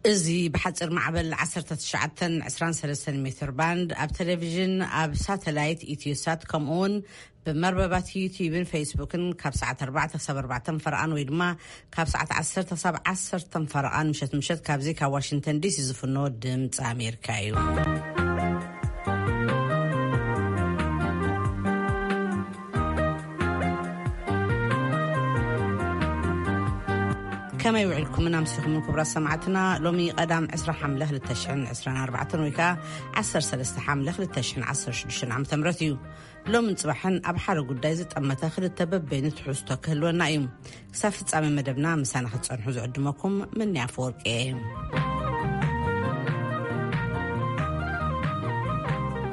እዚ ብሓፂር ማዕበል ዓሰርተ ትሽዓተ ዕስራን ሰለስተን ሜትር ባንድ ኣብ ቴሌቪዥን፣ ኣብ ሳተላይት ኢትዮሳት፣ ከምኡ እውን ብመርበባት ዩቲዩብን ፌስቡክን ካብ ሰዓት ኣርባዕተ ክሳብ ኣርባዕተ ፈረቓን ወይ ድማ ካብ ሰዓት ዓሰርተ ክሳብ ዓሰርተ ፈረቓን ምሸት ምሸት ካብዚ ካብ ዋሽንግተን ዲሲ ዝፍኖ ድምፂ ኣሜሪካ እዩ። ከመይ ውዕልኩምን ኣምሲኹምን ክቡራት ሰማዕትና? ሎሚ ቀዳም ዕስራ ሓምለ ክልተ ሽሕን ዕስራን ኣርባዕተን ወይ ከዓ ዓሰርተ ሰለስተ ሓምለ ክልተ ሽሕን ዓሰርተ ሽዱሽተን ዓመተ ምህረት እዩ። ሎምን ጽባሕን ኣብ ሓደ ጉዳይ ዝጠመተ ክልተ በበይኑ ትሕዝቶ ክህልወና እዩ። ክሳብ ፍጻሜ መደብና ምሳና ክትጸንሑ ዝዕድመኩም ምንያ ኣፈወርቂ እየ።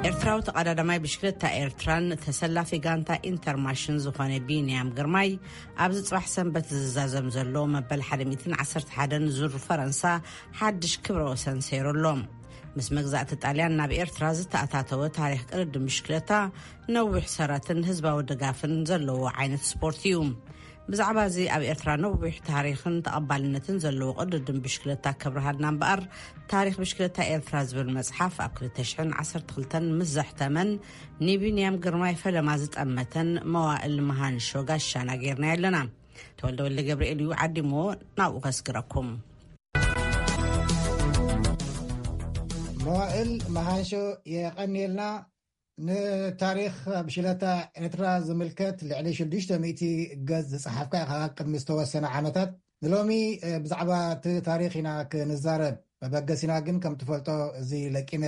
ኤርትራዊ ተቐዳዳማይ ብሽክለታ ኤርትራን ተሰላፊ ጋንታ ኢንተርማሽን ዝኾነ ቢንያም ግርማይ ኣብዚ ጽባሕ ሰንበት ዝዛዘም ዘሎ መበል ሓደ ሚእትን ዓሰርተ ሓደን ዙር ፈረንሳ ሓድሽ ክብረ ወሰን ሰይሩ ኣሎ። ምስ መግዛእቲ ጣልያን ናብ ኤርትራ ዝተኣታተወ ታሪኽ ቅድድም ብሽክለታ ነዊሕ ሰረትን ህዝባዊ ድጋፍን ዘለዎ ዓይነት ስፖርት እዩ። ብዛዕባ እዚ ኣብ ኤርትራ ነዊሕ ታሪኽን ተቐባልነትን ዘለዎ ቅድድም ብሽክለታ ከብርሃልና እምበኣር፣ ታሪኽ ብሽክለታ ኤርትራ ዝብል መጽሓፍ ኣብ ክልተ ሽሕን ዓሰርተ ክልተን ምስ ዘሕተመን ንቢንያም ግርማይ ፈለማ ዝጠመተን መዋእል መሃንሾ ጋሻና ጌርና ኣለና። ተወልደ ወልደ ገብርኤል እዩ ዓዲሞ፣ ናብኡ ከስግረኩም። መዋእል መሃንሾ፣ የቐንየልና። ንታሪኽ ብሽለታ ኤርትራ ዝምልከት ልዕሊ ሽዱሽተ ሚእቲ ገጽ ዝጸሓፍካ ኢኻ ቅድሚ ዝተወሰነ ዓመታት። ንሎሚ፣ እ፣ ብዛዕባ እቲ ታሪኽ ኢና ክንዛረብ መበገሲና። ግን ከም ትፈልጦ፣ እዚ ለቂመ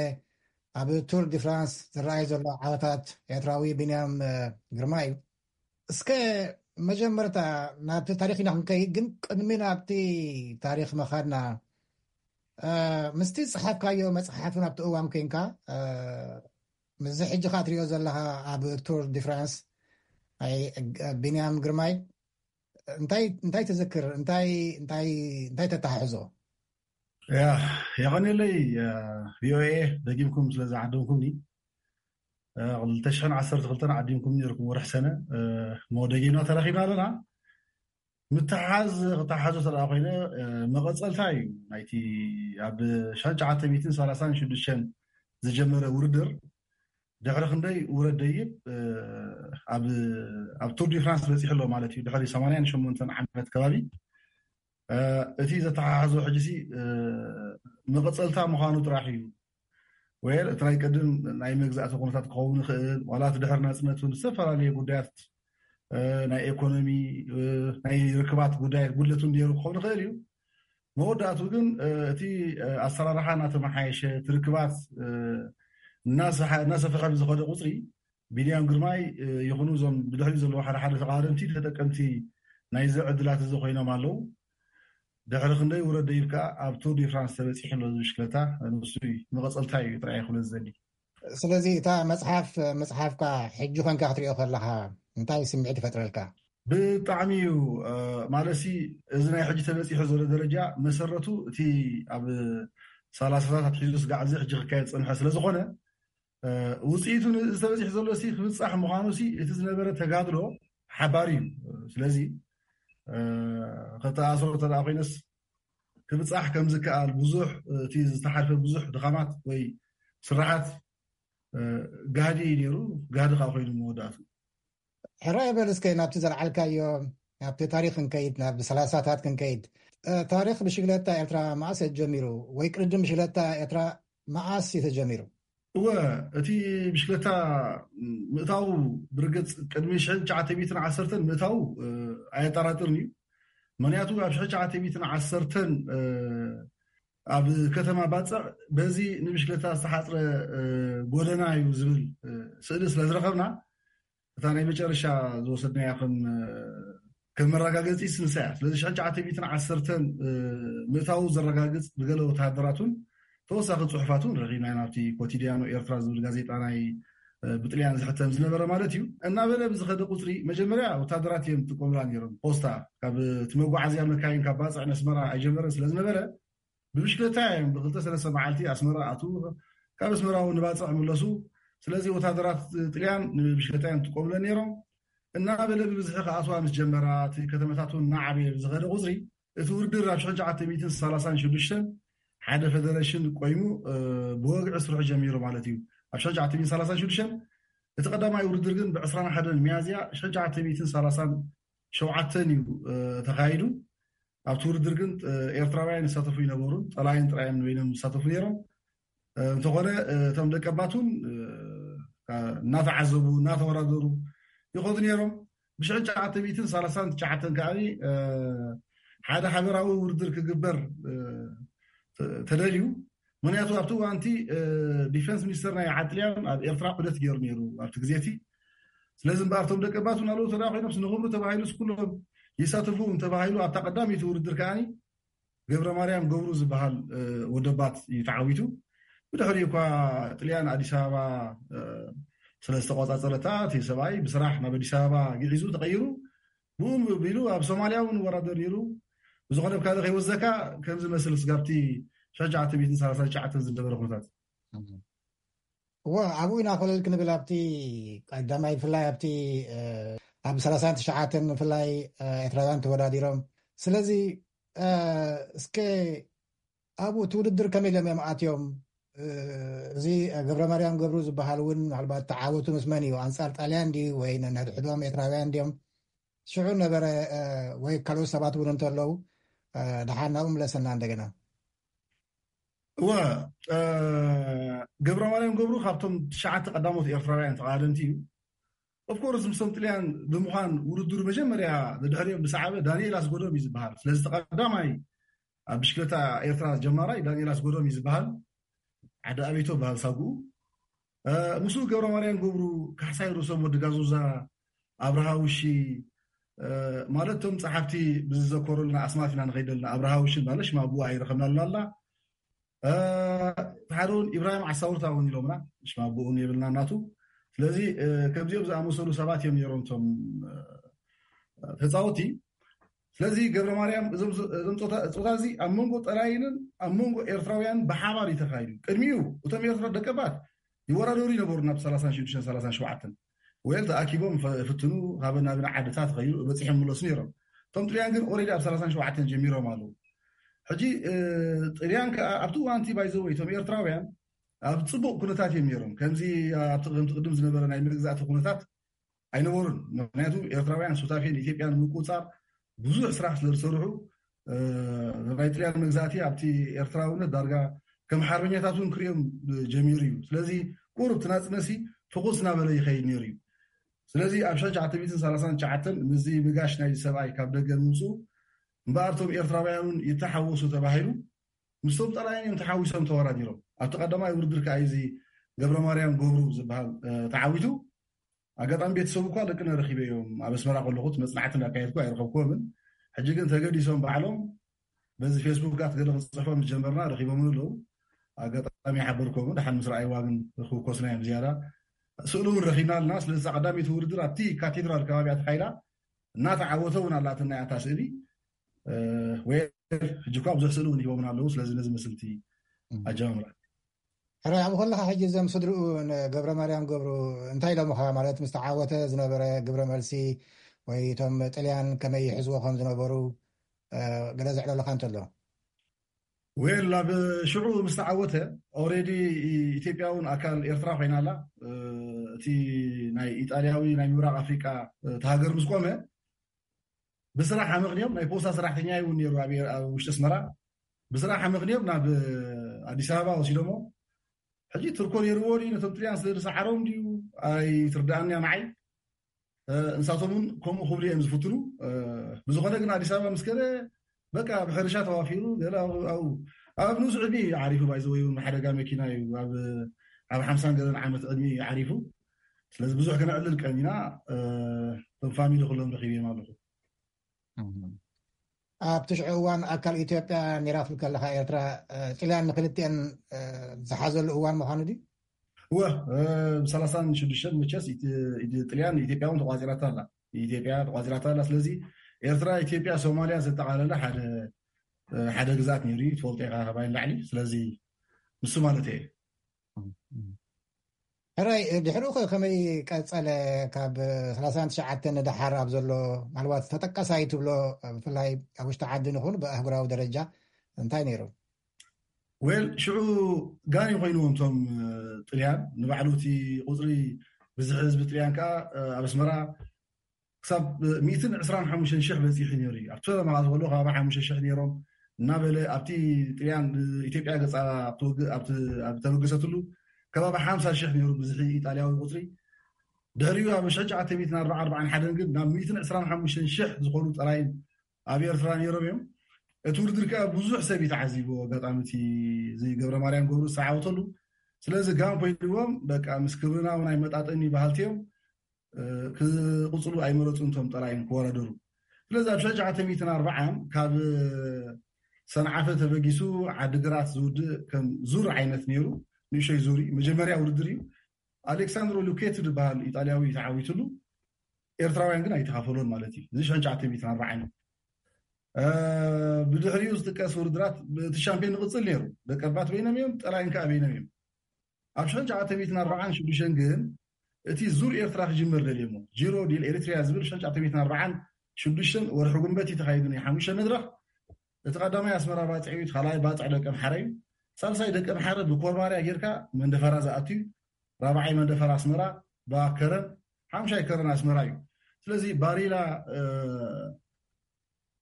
ኣብ ቱር ዲ ፍራንስ ዝረኣይ ዘሎ ዓወታት ኤርትራዊ ቢንያም፣ እ፣ ግርማ እዩ። እስከ መጀመርታ ናብቲ ታሪኽ ኢና ክንከይድ፣ ግን ቅድሚ ናብቲ ታሪኽ ምኻድና፣ እ፣ ምስቲ ዝጸሓፍካዮ መጽሓፍን ኣብቲ እዋን ኮንካ፣ እ፣ ምስዚ ሕጂ ኸኣ ትሪኦ ዘለኻ ኣብ ቱር ዲ ፍራንስ፣ ኣይ፣ ቢንያም ግርማይ፣ እንታይ፣ እንታይ ትዝክር? እንታይ፣ እንታይ፣ እንታይ ተተሓሕዞ? ያ፣ የቐንየለይ፣ እ፣ ቪ ኦ ኤ ደጊምኩም ስለ ዝዓደምኩምኒ። እ፣ ክልተ ሽሕን ዓሰርተ ክልተን ዓዲምኩም ነይርኩም ወርሒ ሰነ፣ እ፣ እሞ ደጊምና ተራኺብና ኣለና። ምትሓዝ ክተሓዞ ተደኣ ኮይነ፣ እ፣ መቐጸልታ እዩ ናይቲ ኣብ ሽሕን ትሽዓተ ሚእትን ሰላሳን ሽዱሽተን ዝጀመረ ውድድር ድሕሪ ክንደይ ውረድ ደይብ፣ እ፣ ኣብ፣ ኣብ ቱር ዲ ፍራንስ በጺሑ ኣሎ ማለት እዩ። ድሕሪ ሰማንያን ሸሞንተን ዓመት ከባቢ፣ እ፣ እቲ ዘተሓሕዞ ሕጂሲ፣ እ፣ መቐጸልታ ምዃኑ ጥራሕ እዩ። ወይ እቲ ናይ ቅድም ናይ መግዛእቲ ኩነታት ክኸውን ይኽእል፣ ዋላ እቲ ድሕሪ ናጽነት እውን ዝተፈላለየ ጉዳያት፣ እ፣ ናይ ኤኮኖሚ፣ እ፣ ናይ ርክባት ጉዳያት ጉድለት እውን ነይሩ ክኸውን ይኽእል እዩ። መወዳእቱ ግን፣ እ፣ እቲ፣ እ፣ ኣሰራርሓ እናተመሓየሸ፣ እቲ ርክባት፣ እ፣ እናሰሓ-፣ እናሰፍሐ ብዝኸደ ቁጽሪ፣ ቢንያም ግርማይ፣ እ፣ ይኹኑ እዞም ብድሕሪኡ ዘለዉ ሓደ ሓደ ተቓደምቲ ተጠቀምቲ ናይዚ ዕድላት እዚ ኮይኖም ኣለዉ። ድሕሪ ክንደይ ውረድ ደይብ ከኣ ኣብ ቱር ዲ ፍራንስ ተበጺሑ ኣሎ። እዚ ብሽክለታ ንሱ እዩ፣ መቐጸልታ እዩ ጥራይ ክብሎ ዝደሊ። ስለዚ እታ መጽሓፍ ምጽሓፍካ ሕጂ ኮንካ ክትሪኦ ከለኻ እንታይ ስምዒት ይፈጥረልካ? ብጣዕሚ እዩ፣ እ፣ ማለትሲ እዚ ናይ ሕጂ ተበጺሑ ዘሎ ደረጃ መሰረቱ እቲ ኣብ ሰላሳታት ኣትሒዙ ስጋዕ እዚ ሕጂ ክካየድ ዝጸንሐ ስለ ዝኾነ፣ እ፣ ውጽኢቱ ን-፣ ዝተበጺሑ ዘሎ ሲ ክብጻሕ ምዃኑ ሲ እቲ ዝነበረ ተጋድሎ ሓባሪ እዩ። ስለዚ፣ እ፣ ከተኣስሮ እንተ ደኣ ኮይነስ ክብጻሕ ከም ዝከኣል ብዙሕ፣ እቲ ዝተሓልፈ ብዙሕ ድኻማት ወይ ስራሓት፣ እ፣ ጋህዲ እዩ ነይሩ፣ ጋህዲ ከኣ ኮይኑ መወዳእቱ። ሕራይ በል እስከ ናብቲ ዘልዓልካዮ፣ ናብቲ ታሪኽ ክንከይድ፣ ናብ ሰላሳታት ክንከይድ። እ፣ ታሪኽ ብሽግለታ ኤርትራ መኣስ ጀሚሩ ወይ ቅድድም ብሽግለታ ኤርትራ መኣስ እዩ ተጀሚሩ? እወ፣ እቲ ብሽክለታ ምእታው ብርግጽ ቅድሚ ሽሕን ትሽዓተ ሚእትን ዓሰርተን ምእታው፣ እ፣ ኣየጠራጥርን እዩ። ምኽንያቱ ኣብ ሽሕን ትሽዓተ ሚእትን ዓሰርተን፣ እ፣ ኣብ ከተማ ባጽዕ በዚ ንብሽክለታ ዝተሓጽረ፣ እ፣ ጎደና እዩ ዝብል፣ እ፣ ስእሊ ስለ ዝረኸብና፣ እታ ናይ መጨረሻ ዝወሰድናያ ከም፣ ከም መረጋገጺ ስንሳ እያ። ስለዚ ሽሕን ትሽዓተ ሚእትን ዓሰርተን፣ እ፣ ምእታዉ ዘረጋግጽ ብገለ ወተሃደራቱን ተወሳኺ ጽሑፋቱን ረኺብና ኢና፣ ኣብቲ ኮቲዲያኖ ኤርትራ ዝብል ጋዜጣ ናይ፣ እ፣ ብጥልያን ዝሕተም ዝነበረ ማለት እዩ። እናበለ ብዝኸደ ቁጽሪ፣ መጀመርያ ወተሃደራት እዮም ዝጥቀሙላ ነይሮም። ፖስታ፣ ካብ እቲ መጓዓዝያ መካይን ካብ ባጽዕ ነስመራ ኣይጀመረን ስለ ዝነበረ፣ ብብሽክለታ እዮም ብክልተ ሰለስተ መዓልቲ ኣስመራ ኣትዉ፣ ካብ ኣስመራ እውን ንባጽዕ ምለሱ። ስለዚ ወታደራት ጥልያን ንብሽክለታ እዮም ዝጥቀሙለን ነይሮም። እናበለ ብብዝሒ ክኣትዋ ምስ ጀመራ፣ እቲ ከተማታት እውን እናዓበየ ብዝኸደ ቁጽሪ፣ እቲ ውድድር ኣብ ሽሕን ትሽዓተ ሚእትን ሰላሳን ሽዱሽተን ሓደ ፌደሬሽን ቆይሙ ብወግዒ ስርሑ ጀሚሩ ማለት እዩ። ኣብ ሸሻዓተ ሚእትን ሰላሳን ሽዱሽተን እቲ ቀዳማይ ውድድር ግን ብ ዕስራን ሓደን ሚያዝያ ሸሻዓተ ሚእትን ሰላሳን ሸውዓተን እዩ ተኻይዱ። ኣብቲ ውድድር ግን ኤርትራውያን ይሳተፉ ይነበሩን ጠላይን ጥራዮም በይኖም ይሳተፉ ነይሮም። እንተኾነ እቶም ደቀባት እውን እናተዓዘቡ እናተወዳደሩ ይኸዱ ነይሮም። ብሽሕን ትሽዓተ ሚእትን ሰላሳን ትሽዓተን ከዓ ሓደ ሃገራዊ ውድድር ክግበር ተደልዩ። ምክንያቱ ኣብቲ እዋንቲ ዲፌንስ ሚኒስተር ናይ ዓጥልያን ኣብ ኤርትራ ዑደት ገይሩ ነይሩ ኣብቲ ግዜ እቲ። ስለዚ እምበኣር እቶም ደቀባት እውን ኣለዉ ተዳ ኮይኖም ንኽብሩ ተባሂሉ ኩሎም ይሳተፉ ተባሂሉ ኣብታ ቀዳመይቲ ውድድር ከዓ ገብረ ማርያም ገብሩ ዝበሃል ወደባት እዩ ተዓዊቱ። ብድሕሪ እኳ ጥልያን ኣዲስ ኣበባ ስለ ዝተቆፃፀረታ እቲ ሰብኣይ ብስራሕ ናብ ኣዲስ ኣበባ ግዒዙ ተቐይሩ ብኡ ቢሉ ኣብ ሶማልያ እውን ወራደር ነይሩ። ብዝኾነ ብካልእ ከይወዘካ ከምዚ መስል ስጋብቲ ሸሻዓተ ቤትን ሰላሳ ትሽዓተን ዝነበረ ኩነታት እዎ ኣብኡ ኢና ኮለል ክንብል ኣብቲ ቀዳማይ ብፍላይ ኣብቲ ኣብ ሰላሳን ትሽዓተን ብፍላይ ኤርትራውያን ተወዳዲሮም። ስለዚ እስከ ኣብኡ እቲ ውድድር ከመይ ኢሎም እዮም ኣትዮም? እዚ ገብረ ማርያም ገብሩ ዝበሃል እውን ምናልባት ተዓወቱ ምስ መን እዩ? ኣንፃር ጣልያን ድዩ ወይ ነንሕድሕዶም ኤርትራውያን ድዮም? ሽዑ ነበረ ወይ ካልኦት ሰባት እውን እንተለዉ ደሓር ናብኡ ምለሰና እንደገና። እወ ገብረ ማርያም ገብሩ ካብቶም ትሽዓተ ቀዳሞት ኤርትራውያን ተቓደምቲ እዩ። ኦፍኮርስ ምስቶም ጥልያን ብምዃን ውድድሩ መጀመርያ ደድሕሪኦም ብሰዓበ ዳንኤል ኣስጎዶም እዩ ዝበሃል። ስለዚ ተቐዳማይ ኣብ ብሽክለታ ኤርትራ ጀማራይ ዳንኤል ኣስጎዶም እዩ ዝበሃል። ዓዲ ኣቤቶ በሃል ሳጉኡ ምስኡ ገብረ ማርያም ገብሩ፣ ካሕሳይ ርእሶም፣ ወዲ ጋዙዛ፣ ኣብርሃ ውሺ ማለት እቶም ጸሓፍቲ ብዝዘከሩልና ኣስማት ኢና ንኸይደልና ኣብርሃ ውሺ ማለት ሽማ ብኡ ኣይረኸብናሉ ኣላ። ሓደ እውን ኢብራሂም ዓሳውርታ እውን ኢሎምና ሽማ ብኡ የብልና ናቱ። ስለዚ ከምዚኦም ዝኣመሰሉ ሰባት እዮም ነይሮም እቶም ተፃወቲ። ስለዚ ገብረ ማርያም እዞም ጾታ እዚ ኣብ መንጎ ጠላይንን ኣብ መንጎ ኤርትራውያን ብሓባር እዩ ተኻይዱ። ቅድሚኡ እቶም ኤርትራ ደቀባት ይወዳደሩ ይነበሩ ናብ ሰላሳን ሽዱሽተን ሰላሳን ሸውዓተን ወይል ተኣኪቦም ፍትኑ ሃበን ናብን ዓድታት ኸይዱ በፂሖም ምለሱ ነይሮም። እቶም ጥልያን ግን ኦሬዲ ኣብ ሰላሳን ሸውዓተን ጀሚሮም ኣለዉ። ሕጂ ጥልያን ከዓ ኣብቲ እዋንቲ ባይዘወይ እቶም ኤርትራውያን ኣብ ፅቡቅ ኩነታት እዮም ነይሮም። ከምዚ ኣብቲ ከምቲ ቅድም ዝነበረ ናይ መግዛእቲ ኩነታት ኣይነበሩን። ምክንያቱ ኤርትራውያን ሱታፌን ኢትዮጵያን ምቁፃር ብዙሕ ስራሕ ስለ ዝሰርሑ ናይ ጥልያን መግዛእቲ ኣብቲ ኤርትራውነት ዳርጋ ከም ሓርበኛታት እውን ክሪኦም ጀሚሩ እዩ። ስለዚ ቁሩብ ትናፅነሲ ፍኹስ እናበለ ይኸይድ ነይሩ እዩ። ስለዚ ኣብ ሸሻዓተ ሚእትን ሰላሳን ትሽዓተን ምስዚ ምጋሽ ናይ ሰብኣይ ካብ ደገ ምምፅኡ እምበኣር እቶም ኤርትራውያን እውን ይተሓወሱ ተባሂሉ ምስቶም ጠላይን እዮም ተሓዊሶም ተወዳዲሮም። ኣብቲ ቀዳማይ ውድድር ከዓ እዚ ገብረ ማርያም ገብሩ ዝበሃል ተዓዊቱ። ኣጋጣሚ ቤተሰቡ እኳ ደቅነ ረኺበ እዮም ኣብ ኣስመራ ከለኹት መፅናዕቲ እንዳካየድኩ ኣይረኸብኩዎምን። ሕጂ ግን ተገዲሶም ባዕሎም በዚ ፌስቡክ ጋት ገለ ክንፅሕፎ ምስ ጀመርና ረኺቦምን ኣለዉ። ኣጋጣሚ ሓበርኮምን ደሓን ምስ ረኣይዋ ግን ክውከሱና እዮም ዝያዳ። ስእሊ እውን ረኺብና ኣለና። ስለዚ ቀዳሚቲ ውድድር ኣብቲ ካቴድራል ከባቢያ ተካይዳ እናተዓወተ እውን ኣላትና እያ እታ ስእሊ። ወይ ሕጂ እኳ ብዙሕ ስእሊ እውን ሂቦምና ኣለዉ። ስለዚ ነዚ ምስልቲ ኣጀማምራ ሕራይ ኣብኡ ከለካ ሕጂ እዞም ስድርኡ ገብረ ማርያም ገብሩ እንታይ ኢሎምካ? ማለት ምስ ተዓወተ ዝነበረ ግብረ መልሲ ወይ እቶም ጥልያን ከመይ ይሕዝዎ ከም ዝነበሩ ገለ ዘዕለሉካ እንተሎ? ዌል ኣብ ሽዑ ምስ ተዓወተ ኦሬዲ ኢትዮጵያ እውን ኣካል ኤርትራ ኮይና ኣላ። እቲ ናይ ኢጣልያዊ ናይ ምብራቅ ኣፍሪቃ እቲ ሃገር ምስ ቆመ ብስራሕ ኣመኽንዮም ናይ ፖስታ ሰራሕተኛ እውን ነይሩ ኣብ ውሽጢ ኣስመራ። ብስራሕ ኣመኽንዮም ናብ ኣዲስ ኣበባ ወሲዶሞ። ሕጂ ትርኮ ነይርዎ ድዩ ነቶም ጥልያን ስለ ዝሰዓሮም ድዩ ኣይትርዳእንያ ንዓይ። ንሳቶም እውን ከምኡ ክብሉ እዮም ዝፍትኑ። ብዝኾነ ግን ኣዲስ ኣበባ ምስ ከደ በቃ ብሕርሻ ተዋፊሩ ገለ ኣብኡ ኣብ ንኡስ ዕድሚ ዓሪፉ ባይዘወይ እውን ብሓደጋ መኪና እዩ ኣብ ሓምሳን ገለን ዓመት ዕድሚ ዓሪፉ። ስለዚ ብዙሕ ከነዕልል ቀኒና እቶም ፋሚሊ ኩሎም ረኺበዮም ኣለኹ። ኣብቲ ሽዑ እዋን ኣካል ኢትዮጵያ ኒራፍል ከለካ ኤርትራ ጥልያን ንክልቲአን ዝሓዘሉ እዋን ምዃኑ ድዩ? እወ ብሰላሳን ሽዱሽተን መቸስ ጥልያን ኢትዮጵያ እውን ተቋፂራታ ኣላ። ኢትዮጵያ ተቋፂራታ ኣላ። ስለዚ ኤርትራ ኢትዮጵያ ሶማልያ ዘጠቃለለ ሓደ ሓደ ግዛት ነይሩ እዩ ትፈልጦ ኢኻ ካባይ ንላዕሊ። ስለዚ ንሱ ማለት እየ። ሕራይ ድሕሪኡ ከ ከመይ ቀጸለ? ካብ ሰላሳን ትሽዓተን ንደሓር ኣብ ዘሎ ምናልባት ተጠቀሳይ ትብሎ ብፍላይ ኣብ ውሽጢ ዓዲ ንኹን ብኣህጉራዊ ደረጃ እንታይ ነይሩ? ወል ሽዑ ጋን ኮይንዎም እቶም ጥልያን ንባዕሉ እቲ ቁፅሪ ብዝሒ ህዝቢ ጥልያን ከዓ ኣብ ኣስመራ ክሳብ ሚእትን ዕስራን ሓሙሽተን ሽሕ በፂሑ ነይሩ እዩ። ኣብቲ ፈለማ ከሎ ከባቢ ሓሙሽተ ሽሕ ነይሮም እናበለ ኣብቲ ጥልያን ኢትዮጵያ ገፃ ኣብ ተበገሰትሉ ከባቢ ሓምሳ ሽሕ ነይሩ ብዝሒ ኢጣልያዊ ቁፅሪ። ድሕሪኡ ኣብ ሽሕን ትሽዓተ ሚእትን ኣርባዓን ኣርባዓን ሓደን ግን ናብ ሚእትን ዕስራን ሓሙሽተን ሽሕ ዝኾኑ ጥራይ ኣብ ኤርትራ ነይሮም እዮም። እቲ ውድድር ከዓ ብዙሕ ሰብ እዩ ተዓዚብዎ። ኣጋጣሚ እቲ እዚ ገብረ ማርያም ገብሩ ዝተዓወተሉ። ስለዚ ጋም ኮይንዎም በቃ ምስ ክብርና እውን ኣይመጣጠኒ በሃልቲ እዮም። ክቕፅሉ ኣይመረፁን እቶም ጠላይን ክወዳደሩ። ስለዚ ኣብ ሽሕን ትሽዓተ ሚእትን ኣርባዓን ካብ ሰንዓፈ ተበጊሱ ዓዲግራት ዝውድእ ከም ዙር ዓይነት ነይሩ። ንእሽተይ ዙር እዩ። መጀመርያ ውድድር እዩ። ኣሌክሳንድሮ ሉኬቲ ዝበሃል ኢጣልያዊ ተዓዊትሉ፣ ኤርትራውያን ግን ኣይተኻፈሎን ማለት እዩ። እዚ ሽሕን ትሽዓተ ሚእትን ኣርባዓን እዩ። ብድሕሪኡ ዝጥቀስ ውድድራት እቲ ሻምፒዮን ንቕፅል ነይሩ። ደቀባት በይኖም እዮም፣ ጠላይን ከዓ በይኖም እዮም። ኣብ ሽሕን ትሽዓተ ሚእትን ኣርባዓን ሽዱሽተን ግን እቲ ዙር ኤርትራ ክጅመር ደልዮሞ፣ ጂሮ ዲል ኤሪትሪያ ዝብል ሽሕን ትሽዓተ ሚእትን ኣርባዓን ሽዱሽተን ወርሒ ጉንበት እዩ ተኻይዱ። ናይ ሓሙሽተ መድረኽ፣ እቲ ቀዳማይ ኣስመራ ባጽዕ እዩ፣ እቲ ካልኣይ ባጽዕ ደቀምሓረ እዩ፣ ሳልሳይ ደቀምሓረ ብኮርባርያ ጌርካ መንደፈራ ዝኣቱ እዩ፣ ራብዓይ መንደፈራ ኣስመራ ብኣከረን፣ ሓሙሻይ ከረን ኣስመራ እዩ። ስለዚ ባሪላ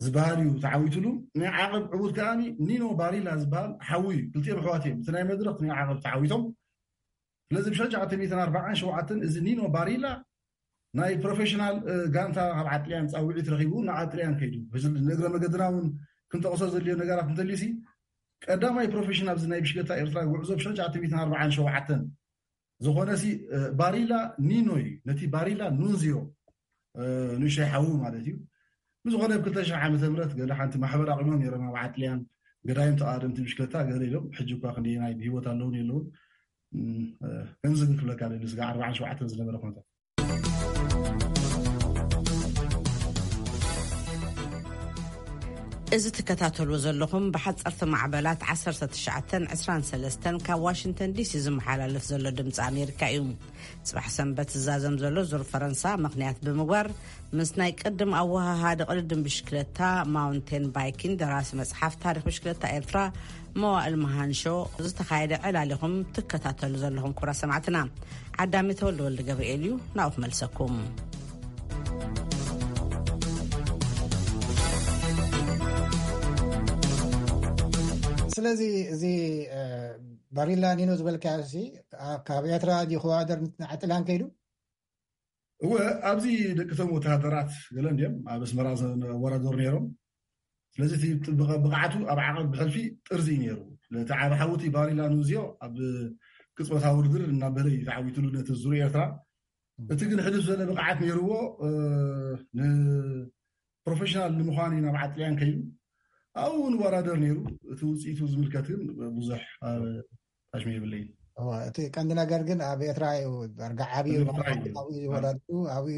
ዝበሃል እዩ ተዓዊትሉ። ናይ ዓቐብ ዕዉት ከኣ ኒኖ ባሪላ ዝበሃል ሓዉ እዩ። ክልቲኦም ኣሕዋት እዮም። እቲ ናይ መድረኽ ናይ ዓቐብ ተዓዊቶም። ስለዚ ብ ሽሕን ትሽዓተ ሚእትን ኣርባዓን ሸውዓተን እዚ ኒኖ ባሪላ ናይ ፕሮፌሽናል ጋንታ ካብ ዓጥልያን ፃውዒት ረኺቡ ንዓጥልያን ከይዱ። ንእግረ መገድና እውን ክንጠቕሶ ዘድልዮ ነገራት እንተልዩሲ ቀዳማይ ፕሮፌሽናል ናይ ብሽክለታ ኤርትራ ጉዕዞ ብ ሽሕን ትሽዓተ ሚእትን ኣርባዓን ሸውዓተን ዝኾነ ሲ ባሪላ ኒኖ እዩ። ነቲ ባሪላ ኑንዚዮ ንእሽተይ ሓዉ ማለት እዩ። ብዝኾነ ብ ክልተ ሽሕ ዓመተ ምህረት ገለ ሓንቲ ማሕበር ኣቑሞም ነይሮም ኣብ ዓጥልያን። ገዳይም ተቓደምቲ ብሽክለታ ገለ ኢሎም ሕጂ እኳ ክንደየናይ ብህይወት ኣለውን የለውን። ከምዚ ግን ክብለካ ደሊ ስጋ ኣርባዓን ሸውዓተን ዝነበረ ኩነታት። እዚ ትከታተልዎ ዘለኹም ብሓፀርቲ ማዕበላት ዓሰርተ ትሽዓተን ዕስራን ሰለስተን ካብ ዋሽንግተን ዲሲ ዝመሓላለፍ ዘሎ ድምፂ ኣሜሪካ እዩ። ፅባሕ ሰንበት ዝዛዘም ዘሎ ዙር ፈረንሳ ምኽንያት ብምግባር ምስ ናይ ቅድም ኣወሃሃዲ ቅድድም ብሽክለታ ማውንቴን ባይኪን ደራሲ መፅሓፍ ታሪክ ብሽክለታ ኤርትራ መዋእል መሃንሾ ዝተኻየደ ዕላል ኢኹም ትከታተሉ ዘለኹም ክቡራት ሰማዕትና። ዓዳሚ ተወልደ ወልደ ገብርኤል እዩ ናብኡ ክመልሰኩም። ስለዚ እዚ ባሪላ ኒኖ ዝበልካዮ ሲ ካብ ኤርትራ ድዩ ክወዳደር ንዓጥላን ከይዱ? እወ፣ ኣብዚ ደቂ ቶም ወተሃደራት ገለ እንዲዮም ኣብ ኣስመራ ዝወዳደሩ ነይሮም። ስለዚ እቲ ብቕ- ብቕዓቱ ኣብ ዓቐብ ብሕልፊ ጥርዚ እዩ ነይሩ። እቲ ዓቢ ሓውቲ ባሪላ ኑዚዮ ኣብ ቅጽበታዊ ውድድር እናበለ እዩ ተዓዊትሉ ነቲ ዙር ኤርትራ። እቲ ግን ሕልፍ ዝበለ ብቕዓት ነይርዎ። ንፕሮፌሽናል ንምዃን እዩ ናብ ዓጥልያን ከይዱ። ኣብኡ እውን ወዳደር ነይሩ። እቲ ውፅኢቱ ዝምልከት ግን ብዙሕ ኣሽሚ የብለይን። እቲ ቀንዲ ነገር ግን ኣብ ኤርትራ እዩ ዳርጋ ዓብዩ። ኣብኡ ዝወዳድሩ ኣብኡ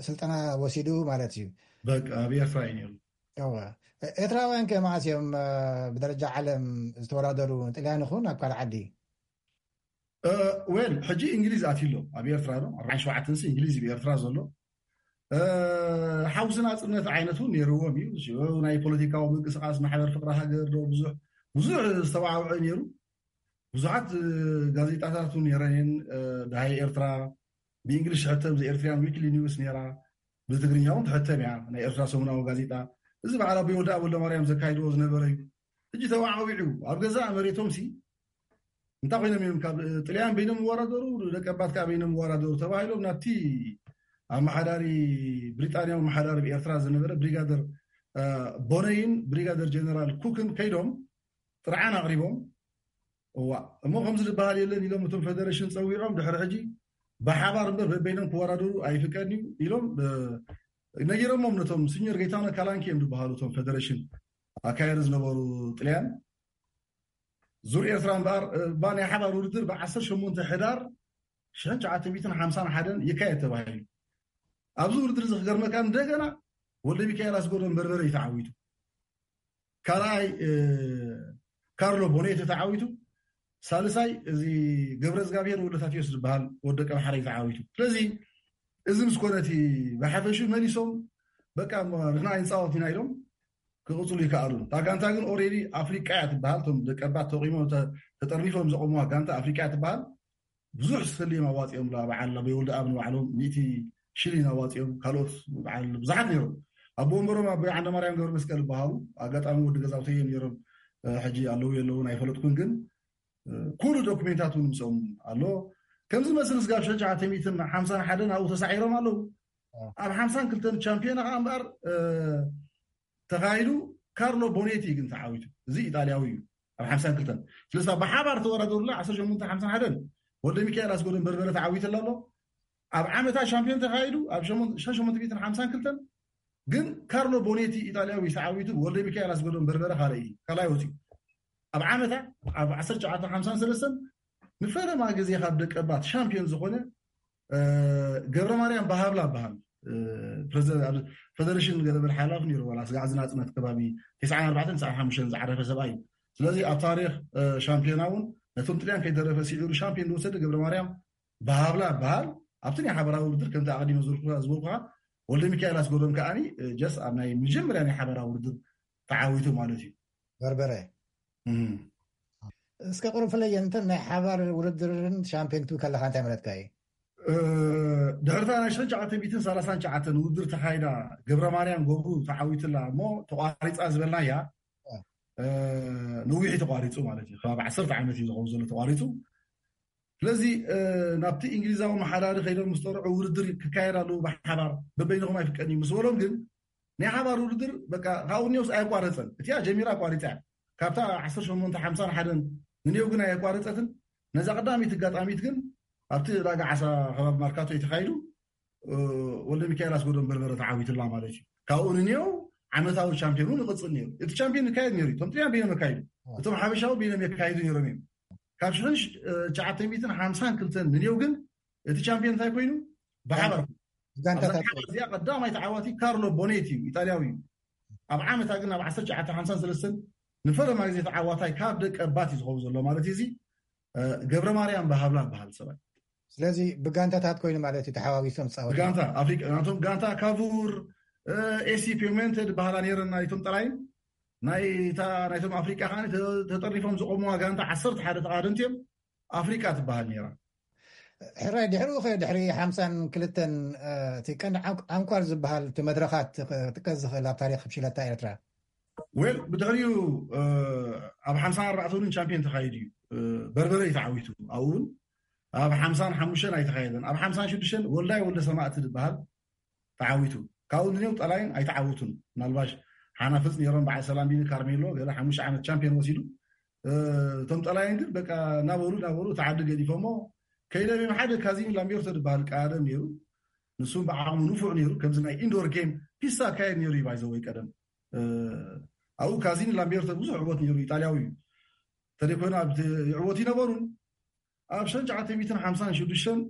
ስልጠና ወሲዱ ማለት እዩ። ኣብ ኤርትራ እዩ ነይሩ። ኤርትራውያን ከ መዓስ እዮም ብደረጃ ዓለም ዝተወዳደሩ? ጥልያን ይኹን ኣብ ካልእ ዓዲ? ወል ሕጂ እንግሊዝ ኣትዩ ኣሎ ኣብ ኤርትራ ዶ ኣርባዓን ሸውዓተን እንግሊዝ እዩ ኤርትራ ዘሎ። ሓውሲ ናጽነት ዓይነት እውን ነይርዎም እዩ። ናይ ፖለቲካዊ ምንቅስቃስ ማሕበር ፍቅሪ ሃገር ዶ ብዙሕ ብዙሕ ዝተዋዕውዐ ነይሩ። ብዙሓት ጋዜጣታት እውን ነረን። ዳሃይ ኤርትራ ብእንግሊሽ ትሕተም ዘ ኤርትሪያን ዊክሊ ኒውስ ነራ፣ ብትግርኛ እውን ትሕተም እያ ናይ ኤርትራ ሰሙናዊ ጋዜጣ። እዚ በዓል ኣቦይ ወልደኣብ ወልደማርያም ዘካይድዎ ዝነበረ እዩ። ሕጂ ተዋዓዊዑ ኣብ ገዛእ መሬቶም ሲ እንታይ ኮይኖም እዮም ካብ ጥልያን በይኖም ይወዳደሩ፣ ደቀባት ከዓ በይኖም ይወዳደሩ ተባሂሎም ናብቲ ኣመሓዳሪ ብሪጣንያዊ ኣመሓዳሪ ብኤርትራ ዝነበረ ብሪጋደር ቦነይን ብሪጋደር ጀነራል ኩክን ከይዶም ጥርዓን ኣቕሪቦም። እዋ እሞ ከምዚ ዝበሃል የለን ኢሎም እቶም ፌደሬሽን ፀዊዖም ድሕሪ ሕጂ ብሓባር እምበር በበይኖም ክወዳደሩ ኣይፍቀድን እዩ ኢሎም ነጊሮሞም ነቶም ሲኒዮር ጌታነ ካላንኪ እዮም ዝበሃሉ እቶም ፌደሬሽን ኣካየዲ ዝነበሩ ጥልያን ዙር ኤርትራ እምበኣር እባ ናይ ሓባር ውድድር ብ ዓሰርተ ሸሞንተ ሕዳር ሽሕን ትሽዓተ ሚእትን ሓምሳን ሓደን ይካየድ ተባሂሉ። ኣብዚ ውድድር እዚ ክገርመካ እንደገና ወልደ ሚካኤል ኣስገዶም በርበረ እዩ ተዓዊቱ። ካልኣይ ካርሎ ቦኔተ ተዓዊቱ፣ ሳልሳይ እዚ ገብረ እግዚኣብሔር ወልደ ታቴዎስ ዝበሃል ወዲ ደቀምሓረ እዩ ተዓዊቱ። ስለዚ እዚ ምስ ኮነ እቲ ብሓፈሹ መሊሶም በቃ ንሕና ኣይንፃወት ኢና ኢሎም ክቕፅሉ ይከኣሉ። እታ ጋንታ ግን ኦሬዲ ኣፍሪቃ እያ ትበሃል። እቶም ደቀባት ተቂሞም ተጠርኒፎም ዘቆሙዋ ጋንታ ኣፍሪቃ እያ ትበሃል። ብዙሕ ስሊም ኣዋፂኦም ላ በዓል ኣበይ ወልደ ኣብ ንባዕሎም ሚእቲ ሽሊን ኣዋፂኦም፣ ካልኦት በዓል ብዙሓት ነይሮም። ኣቦ ወንበሮም ኣቦ ዓንደ ማርያም ገብረ መስቀል ይበሃሉ። ኣጋጣሚ ወዲ ገዛውተይ እዮም ነይሮም። ሕጂ ኣለዉ የለውን ኣይፈለጥኩን፣ ግን ኩሉ ዶክሜንታት እውን ምስኦም ኣሎ። ከምዚ መስል ስጋብ ሽሕን ትሽዓተ ሚእትን ሓምሳን ሓደን ኣብኡ ተሳዒሮም ኣለዉ። ኣብ ሓምሳን ክልተን ቻምፒዮና ከዓ እምበኣር ተኻይዱ። ካርሎ ቦኔቲ ግን ተዓዊቱ። እዚ ኢጣልያዊ እዩ። ኣብ ሓምሳን ክልተን ስለዚ ብሓባር ተወዳደሩላ ዓሰርተ ሸሞንተ ሓምሳን ሓደን ወልደ ሚካኤል ኣስገዶም በርበረ ተዓዊትላ ኣሎ። ኣብ ዓመታ ሻምፒዮን ተኻይዱ ኣብ ሸሞንተ ሚእትን ሓምሳን ክልተን ግን ካርሎ ቦኔቲ ኢጣልያዊ ተዓዊቱ። ወልደ ሚካኤል ኣስገዶም በርበረ ካልኣይ እዩ፣ ካልኣይ ወፂኡ። ኣብ ዓመታ ኣብ ዓሰርተ ትሽዓተ ሓምሳን ሰለስተን ንፈለማ ግዜ ካብ ደቀባት ሻምፒዮን ዝኾነ ገብረ ማርያም ባህብላ በሃል። ፌደሬሽን ገለበል ሓላፍ ነይሩ ዋላ ስጋዕ ዝናፅነት ከባቢ ተስዓን ኣርባዕተን ተስዓን ሓሙሽተን ዝዓረፈ ሰብኣይ እዩ። ስለዚ ኣብ ታሪክ ሻምፒዮና እውን ነቶም ጥልያን ከይተረፈ ስዒሩ ሻምፒዮን ዝወሰደ ገብረ ማርያም ባህብላ በሃል። ኣብቲ ናይ ሓበራዊ ውድድር ከምቲ ኣቐዲመ ዝበልኩ ዝበልኩኻ ወልደ ሚካኤል ኣስገዶም ከዓኒ ጀስ ኣብ ናይ መጀመርያ ናይ ሓበራዊ ውድድር ተዓዊቱ ማለት እዩ። በርበረ እስከ ቁሩብ ፍለየንትን ናይ ሓባር ውድድርን ሻምፒዮን ትብል ከለካ እንታይ መለትካ እዩ? ድሕርታ ናይ ሽሕን ትሽዓተ ሚእትን ሰላሳን ትሽዓተን ውድድር ተኻይዳ ገብረ ማርያም ገብሩ ተዓዊትላ እሞ ተቋሪፃ ዝበልናያ ነዊሕ ተቋሪፁ ማለት እዩ። ከባቢ ዓሰርተ ዓመት እዩ ዝኸውን ዘሎ ተቋሪፁ። ስለዚ ናብቲ እንግሊዛዊ መሓዳሪ ከይዶም ምስ ጠርዑ ውድድር ክካየድ ኣለዉ ብሓባር በበይንኹም ኣይፍቀድን እዩ ምስ በሎም ግን ናይ ሓባር ውድድር በቃ ካብኡ ኒዮስ ኣየቋረፀን። እቲኣ ጀሚራ ኣቋሪፃ እያ። ካብታ ዓሰርተ ሸሞንተ ሓምሳን ሓደን ንኔው ግን ኣየቋረፀትን። ነዛ ቀዳሚት ኣጋጣሚት ግን ኣብቲ ዕዳጋ ዓሳ ከባቢ ማርካቶ እዩ ተኻይዱ። ወልደ ሚካኤል ኣስገዶም በርበረ ተዓዊትላ ማለት እዩ። ካብኡ ንኔው ዓመታዊ ቻምፒዮን እውን ይቕፅል ነይሩ። እቲ ቻምፒዮን ይካየድ ነይሩ። እቶም ጥልያን በይኖም የካይዱ፣ እቶም ሓበሻዊ በይኖም የካይዱ ነይሮም እዮም። ካብ ሽሕን ትሽዓተ ሚእትን ሓምሳን ክልተን ንኔው ግን እቲ ቻምፒዮን እንታይ ኮይኑ ብሓባር እዚኣ ቀዳማይ ተዓዋቲ ካርሎ ቦኔት እዩ፣ ኢጣልያዊ እዩ። ኣብ ዓመታ ግን ኣብ ዓሰርተ ትሽዓተ ሓምሳን ሰለስተን ንፈለማ ግዜ ተዓዋታይ ካብ ደቀ ባት እዩ ዝኸውን ዘሎ ማለት እዩ። እዚ ገብረ ማርያም ብሃብላ በሃል ሰብኣይ። ስለዚ ብጋንታታት ኮይኑ ማለት እዩ ተሓዋዊሶም ዝፃወቱ። ብጋንታ ኣፍሪቃ ናቶም ጋንታ ካቡር ኤሲ ፔሜንተ ዝበሃላ ነይረን ናይቶም ጠላይን ናይታ ናይቶም ኣፍሪቃ ከዓ ተጠርኒፎም ዝቆምዋ ጋንታ ዓሰርተ ሓደ ተቃደምቲ እዮም። ኣፍሪቃ ትበሃል ነይራ። ሕራይ ድሕሪኡ ከ ድሕሪ ሓምሳን ክልተን እቲ ቀንዲ ዓንኳር ዝበሃል እቲ መድረኻት ክጥቀስ ዝኽእል ኣብ ታሪክ ብሽክለታ ኤርትራ? ዌል ብድሕሪኡ ኣብ ሓምሳን ኣርባዕተን እውን ቻምፒዮን ተኻይዱ እዩ። በርበረ እዩ ተዓዊቱ። ኣብኡ እውን ኣብ ሓምሳን ሓሙሽተን ኣይተኻየደን። ኣብ ሓምሳን ሽዱሽተን ወልዳይ ወልደ ሰማእቲ ዝበሃል ተዓዊቱ። ካብኡ ንኔው ጠላይን ኣይተዓወቱን። ምናልባሽ ሓናፍፅ ነይሮም በዓል ሰላም ቢኒ ካርሜሎ ገለ ሓሙሽተ ዓመት ቻምፒዮን ወሲዱ። እቶም ጠላይን ግን በቃ እናበሉ እናበሉ እቲ ዓዲ ገዲፎሞ ከይደም እዮም። ሓደ ካዚን ላምቤርቶ ዝበሃል ቀዳደም ነይሩ። ንሱም ብዓቕሙ ንፉዕ ነይሩ። ከምዚ ናይ ኢንዶር ጌም ፒሳ ካየድ ነይሩ እዩ ባይዘወይ ቀደም ኣብኡ ካዚን ላምቤርቶ ብዙሕ ዕወት ነይሩ። ኢጣልያዊ እዩ። ተደይኮይኑ ኣብቲ ይዕወት ይነበሩን ኣብ ሽሕን ትሽዓተ ሚእትን ሓምሳን ሽዱሽተን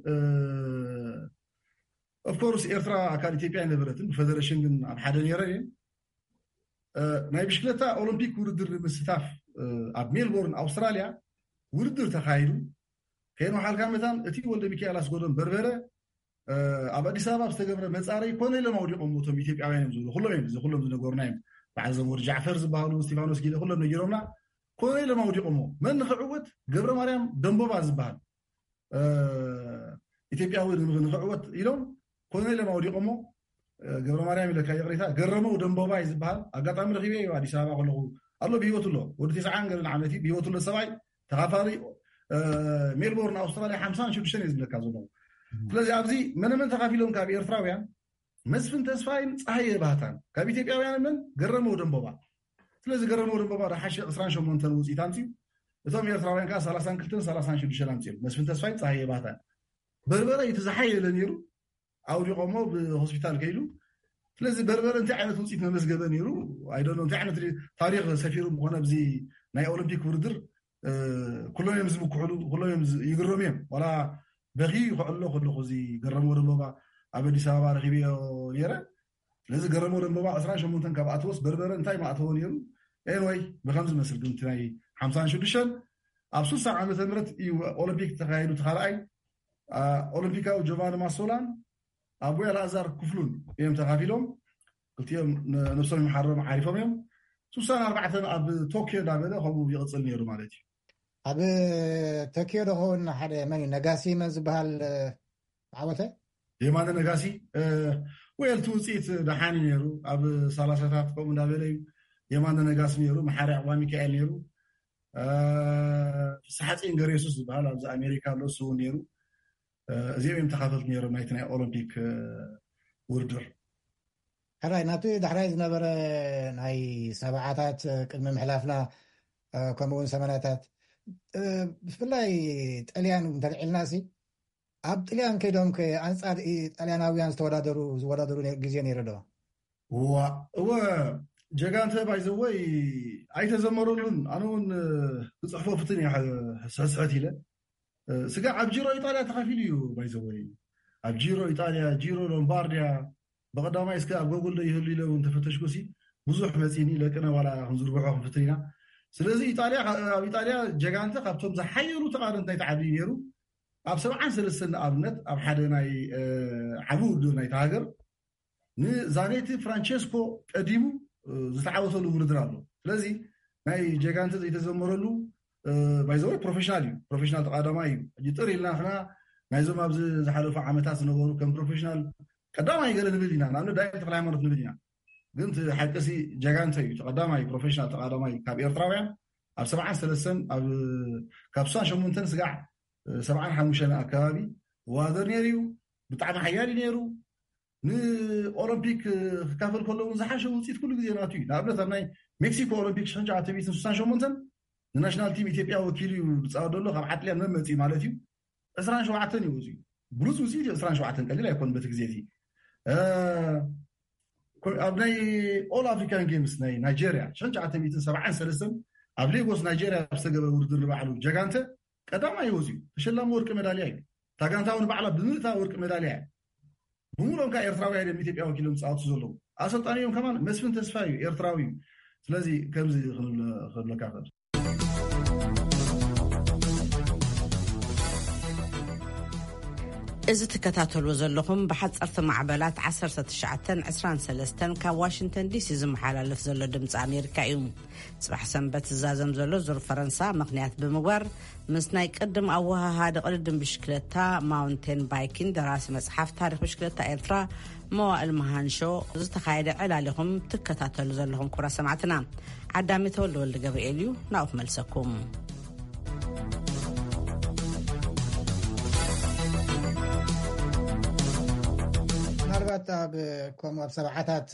ኦፍኮርስ ኤርትራ ኣካል ኢትዮጵያ ኣይነበረትን ብፈደረሽን ግን ኣብ ሓደ ነይረ እየ። ናይ ብሽክለታ ኦሎምፒክ ውድድር ንምስታፍ ኣብ ሜልቦርን ኣውስትራሊያ ውድድር ተኻይዱ። ከየን ወሓልካ መታን እቲ ወልደ ሚካኤል ኣስጎዶም በርበረ ኣብ ኣዲስ ኣበባ ዝተገብረ መፃረይ ኮነ ኢሎም ኣውዲቆም እቶም ኢትዮጵያውያን እዮም ዝብሉ ኩሎም እዮም እዚ ኩሎም ዝነገሩና እዮም። በዓል ዘመወድ ጃዕፈር ዝበሃሉ ስቲፋኖስ ጊደ ኩሎም ነጊሮምና። ኮነ ኢሎም ኣውዲቆሞ መን ንክዕወት ገብረ ማርያም ደንቦባ ዝበሃል ኢትዮጵያዊ ንክዕወት ኢሎም ኮነ ኢሎም ኣውዲቆሞ። ገብረ ማርያም ኢለካ ይቅሬታ ገረመው ደንቦባ እዩ ዝበሃል ኣጋጣሚ ረኪበ እዩ ኣዲስ ኣበባ ከለኩ ኣሎ ብሂወት ኣሎ ወዲ ተስዓን ገለን ዓመት እዩ ብሂወት ኣሎ ሰብኣይ ተኻፋሊ ሜልቦርን ኣውስትራሊያ ሓምሳን ሽዱሽተን እዩ ዝብለካ ዘሎ። ስለዚ ኣብዚ መነመን ተኻፊሎም ካብ ኤርትራውያን መስፍን ተስፋይን ፀሃየ ባህታን ካብ ኢትዮጵያውያን መን ገረመው ደንቦባ። ስለዚ ገረመው ደንቦባ ዝሓሸ ዕስራን ሸሞንተን ውፅኢት ኣምፅኡ። እቶም ኤርትራውያን ከዓ ሰላሳን ክልተን ሰላሳን ሽዱሽተን ኣምፅኦም መስፍን ተስፋይን ፀሃየ ባህታን። በርበረ እቲ ዝሓየለ ነይሩ ኣውዲቆሞ ብሆስፒታል ከይዱ። ስለዚ በርበረ እንታይ ዓይነት ውፅኢት መመዝገበ ነይሩ ኣይደሎ እንታይ ዓይነት ታሪክ ሰፊሩ ምኮነ ኣብዚ ናይ ኦሎምፒክ ውድድር ኩሎም እዮም ዝምክሕሉ ኩሎም እዮም ይግረሙ እዮም ዋላ በኺ ከዕሎ ከለኹ እዚ ገረመው ደንቦባ ኣብ ኣዲስ ኣበባ ረኪበዮ ነይረ። ስለዚ ገረመው ደንቦባ ዕስራን ሸሞንተን ካብ ኣተወስ በርበረ እንታይ ማእተዎ ነይሩ? ኤንወይ ብከም ዝመስል ግን ናይ ሓምሳን ሽዱሽተን ኣብ ስሳ ዓመተ ምህረት እዩ ኦሎምፒክ ተካየዱ ተካልኣይ ኦሎምፒካዊ ጆቫኒ ማሶላን ኣቦይ ኣልኣዛር ክፍሉን እዮም ተካፊሎም። ክልቲኦም ነብሶም ይምሓሮም ዓሪፎም እዮም። ስሳን ኣርባዕተን ኣብ ቶኪዮ እንዳበለ ከምኡ ይቕፅል ነይሩ ማለት እዩ። ኣብ ቶኪዮ ዶ ኸውን ሓደ መን እዩ? ነጋሲ መን ዝበሃል ዓወተ? የማነ ነጋሲ። ወል እቲ ውፅኢት ደሓን እዩ ነይሩ። ኣብ ሰላሳታት ከምኡ እንዳበለ እዩ። የማነ ነጋሲ ነይሩ፣ መሓሪ ኣባ ሚካኤል ነይሩ፣ ፍስሓ ፅን ገሬሱስ ዝበሃል ኣብዚ ኣሜሪካ ኣሎ፣ እሱ እውን ነይሩ። እዚኦም እዮም ተኻፈልቲ ነይሮም ናይቲ ናይ ኦሎምፒክ ውድድር። ሕራይ ናቱ ዳሕራይ ዝነበረ ናይ ሰብዓታት ቅድሚ ምሕላፍና፣ ከምኡውን ሰመናታት፣ ብፍላይ ጠልያን እንተልዒልና ሲ ኣብ ጥልያን ከይዶም ኣንጻር ጣልያናውያን ዝተወዳደሩ ዝወዳደሩ ግዜ ነይሩ ዶ? እዋ እወ፣ ጀጋንተ ባይዘወይ ኣይተዘመረሉን። ኣነ እውን ክፅሕፎ ፍትን እየ ሕስሕት ኢለ። ስጋ ኣብ ጂሮ ኢጣልያ ተኸፊሉ እዩ ባይዘወይ። ኣብ ጂሮ ኢጣልያ፣ ጂሮ ሎምባርዲያ፣ ብቐዳማይ እስከ ኣብ ጎጉል ዶ ይህሉ ኢለ እውን ተፈተሽኩ ሲ ብዙሕ መፂኒ። ለቅነ ዋላ ክንዝርግሖ ክንፍትን ኢና። ስለዚ ኢጣልያ፣ ኣብ ኢጣልያ ጀጋንተ ካብቶም ዝሓየሉ ተቓደምቲ ናይቲ ዓዲ ነይሩ። ኣብ ሰብዓን ሰለስተን ንኣብነት ኣብ ሓደ ናይ ዓቢ ውድድር ናይቲ ሃገር ንዛኔቲ ፍራንቸስኮ ቀዲሙ ዝተዓወተሉ ውድድር ኣሎ። ስለዚ ናይ ጀጋንተ ዘይተዘመረሉ ባይዘወይ ፕሮፌሽናል እዩ። ፕሮፌሽናል ተቃዳማይ እዩ። ሕጂ ጥር ኢልና ክና ናይዞም ኣብዚ ዝሓለፉ ዓመታት ዝነበሩ ከም ፕሮፌሽናል ቀዳማይ ገለ ንብል ኢና። ንኣብነት ዳይም ተክለ ሃይማኖት ንብል ኢና። ግን እቲ ሓቂ ሲ ጀጋንተ እዩ። እቲ ቀዳማይ ፕሮፌሽናል ተቃዳማይ ካብ ኤርትራውያን ኣብ ሰብዓን ሰለስተን ኣብ ካብ ስሳን ሸሞንተን ስጋዕ ሰብዓን ሓሙሽተን ኣካባቢ ዋደር ነይሩ እዩ። ብጣዕሚ ሓያል እዩ ነይሩ። ንኦሎምፒክ ክካፈል ከሎ እውን ዝሓሸ ውፅኢት ኩሉ ግዜ ናቱ እዩ። ንኣብነት ኣብ ናይ ሜክሲኮ ኦሎምፒክ ሽሕን ትሽዓተ ሚእትን ስሳን ሸሞንተን ንናሽናል ቲም ኢትዮጵያ ወኪሉ እዩ ዝፃወት ዘሎ። ካብ ዓጥልያን መመፂ ማለት እዩ። ዕስራን ሸውዓተን እዩ ወፂኡ። ብሉፅ ውፅኢት እዩ። ዕስራን ሸውዓተን ቀሊል ኣይኮን በቲ ግዜ እዚ። ኣብ ናይ ኦል ኣፍሪካን ጌምስ ናይ ናይጀርያ ሽሕን ትሽዓተ ሚእትን ሰብዓን ሰለስተን ኣብ ሌጎስ ናይጀርያ ዝተገበረ ውድድር ንባዕሉ ጀጋንተ ቀዳማይ እዩ ወፂኡ። ተሸላሚ ወርቂ መዳልያ እዩ። እታ ጋንታ እውን ባዕላ ብምልእታ ወርቂ መዳልያ እያ። ብምሉኦም ከዓ ኤርትራውያን እዮም ኢትዮጵያ ወኪሎም ዝፃወቱ ዘለዉ። ኣሰልጣኒኦም ከማን መስፍን ተስፋ እዩ፣ ኤርትራዊ እዩ። ስለዚ ከምዚ ክንብል- ክብለካ ክእል። እዚ ትከታተልዎ ዘለኹም ብሓፀርቲ ማዕበላት ዓሰርተ ትሽዓተን ዕስራን ሰለስተን ካብ ዋሽንግተን ዲሲ ዝመሓላለፍ ዘሎ ድምፂ ኣሜሪካ እዩ። ፅባሕ ሰንበት ዝዛዘም ዘሎ ዙር ፈረንሳ ምኽንያት ብምግባር ምስ ናይ ቅድም ኣወሃሃዲ ቅድድም ብሽክለታ ማውንቴን ባይኪን ደራሲ መፅሓፍ ታሪክ ብሽክለታ ኤርትራ መዋእል መሃንሾ ዝተኻየደ ዕላል ኢኹም ትከታተሉ ዘለኹም ክቡራት ሰማዕትና። ዓዳሚ ተወልደ ወልደ ገብርኤል እዩ ናብኡ ክመልሰኩም። ምናልባት ኣብ ከምኡ ኣብ ሰብዓታት